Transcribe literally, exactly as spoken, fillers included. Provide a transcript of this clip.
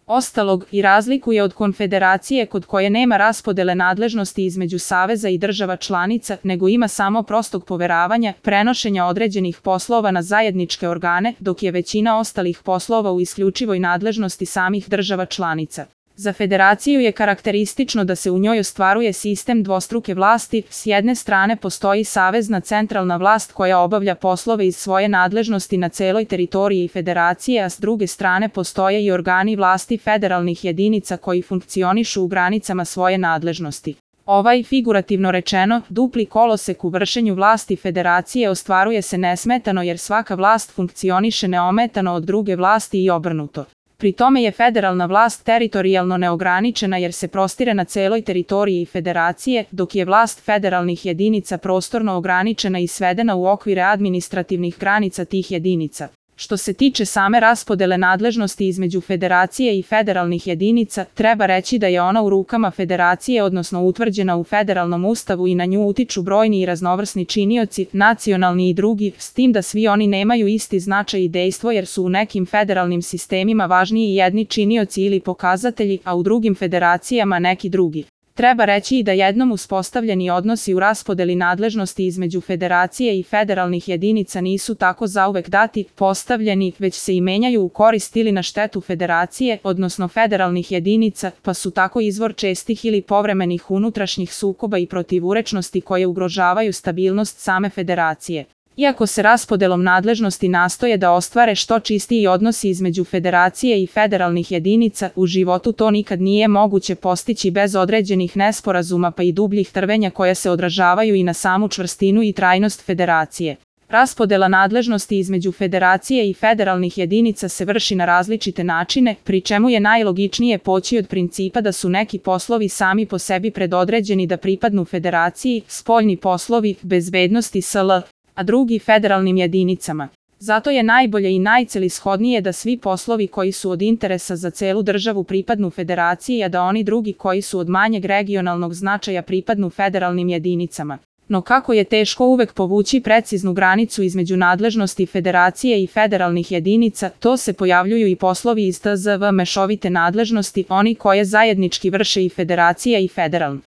ostalog i razlikuje od konfederacije kod koje nema raspodele nadležnosti između saveza i država članica, nego ima samo prostog poveravanja, prenošenja određenih poslova na zajedničke organe, dok je većina ostalih poslova u isključivoj nadležnosti samih država članica. Za federaciju je karakteristično da se u njoj ostvaruje sistem dvostruke vlasti, s jedne strane postoji savezna centralna vlast koja obavlja poslove iz svoje nadležnosti na celoj teritoriji federacije, a s druge strane postoje i organi vlasti federalnih jedinica koji funkcionišu u granicama svoje nadležnosti. Ovaj, figurativno rečeno, dupli kolosek u vršenju vlasti federacije ostvaruje se nesmetano jer svaka vlast funkcioniše neometano od druge vlasti i obrnuto. Pri tome je federalna vlast teritorijalno neograničena jer se prostire na celoj teritoriji federacije, dok je vlast federalnih jedinica prostorno ograničena i svedena u okvire administrativnih granica tih jedinica. Što se tiče same raspodele nadležnosti između federacije i federalnih jedinica, treba reći da je ona u rukama federacije, odnosno utvrđena u federalnom ustavu i na nju utiču brojni i raznovrsni činioci, nacionalni i drugi, s tim da svi oni nemaju isti značaj i dejstvo jer su u nekim federalnim sistemima važniji jedni činioci ili pokazatelji, a u drugim federacijama neki drugi. Treba reći i da jednom uspostavljeni odnosi u raspodeli nadležnosti između federacije i federalnih jedinica nisu tako zauvek dati, postavljeni, već se i menjaju u korist ili na štetu federacije, odnosno federalnih jedinica, pa su tako izvor čestih ili povremenih unutrašnjih sukoba i protivurečnosti koje ugrožavaju stabilnost same federacije. Iako se raspodelom nadležnosti nastoje da ostvare što čistiji odnosi između federacije i federalnih jedinica, u životu to nikad nije moguće postići bez određenih nesporazuma pa i dubljih trvenja koja se odražavaju i na samu čvrstinu i trajnost federacije. Raspodela nadležnosti između federacije i federalnih jedinica se vrši na različite načine, pri čemu je najlogičnije poći od principa da su neki poslovi sami po sebi predodređeni da pripadnu federaciji, spoljni poslovi, bezbednosti sl., a drugi federalnim jedinicama. Zato je najbolje i najcelishodnije da svi poslovi koji su od interesa za celu državu pripadnu federaciji, a da oni drugi koji su od manjeg regionalnog značaja pripadnu federalnim jedinicama. No kako je teško uvek povući preciznu granicu između nadležnosti federacije i federalnih jedinica, to se pojavljuju i poslovi iz T Z V mešovite nadležnosti, oni koje zajednički vrše i federacija i federalni.